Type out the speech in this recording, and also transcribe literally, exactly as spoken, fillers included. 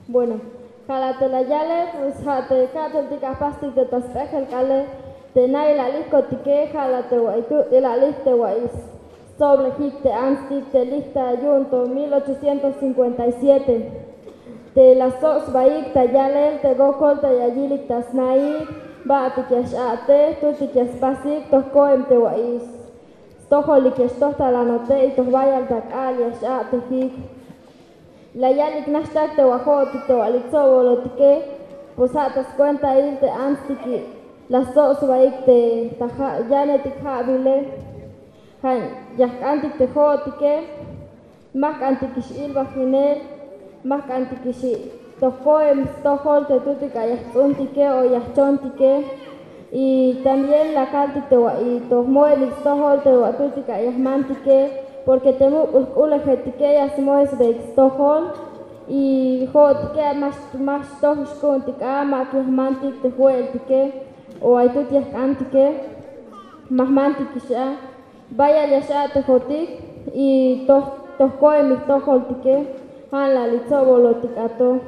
Bueno, ja' la te la yale, pues ja' te ka'teltik apastik te ta sp'ejel k'aale, te na'il alil kotike, ja' la te wa'iy tu' te la alil te wa'iy stsoblejik te antstik te lij ta yu'un to mil ochocientos cincuenta y siete. Te la stsob sbaik ta yalel te wokol te ya yilik ta sna'ik, ba'tik ya x-a'tej, tutik ya spasik, toj ko'em te wa'iy stojolik ya xtoj ta lanote y toj bayal ta k'aal ya x-a'tejik. La yalik naxtak te wajo'otik te wa'lik tsobolotike, pues ja' ta skuentail te antstiki la stsob sbaik te ta ja' yanetik ja'bile. Ja' ya jk'antik te jo'otike, ma jk'antikix ilbajinel, ma jk'antikix toj ko'em stojol te tutik ay ya jts'untike o ya jchontike. Y también la kaltik te wa'iy toj mo'elik stojol te wa' tutik ay ya jmantike, porque te muk'ul jk'ulejetike ya smo'esbeik stojol. Y jo'otike ma xtoj xku'untik a, ma ya jmantik te jwe'eltike o ay tut ya jk'antike, ma jmantikix a. Bayal ya x-a'tejotik y toj ko'emik jtojoltike, ja' la li tsobolotik a to.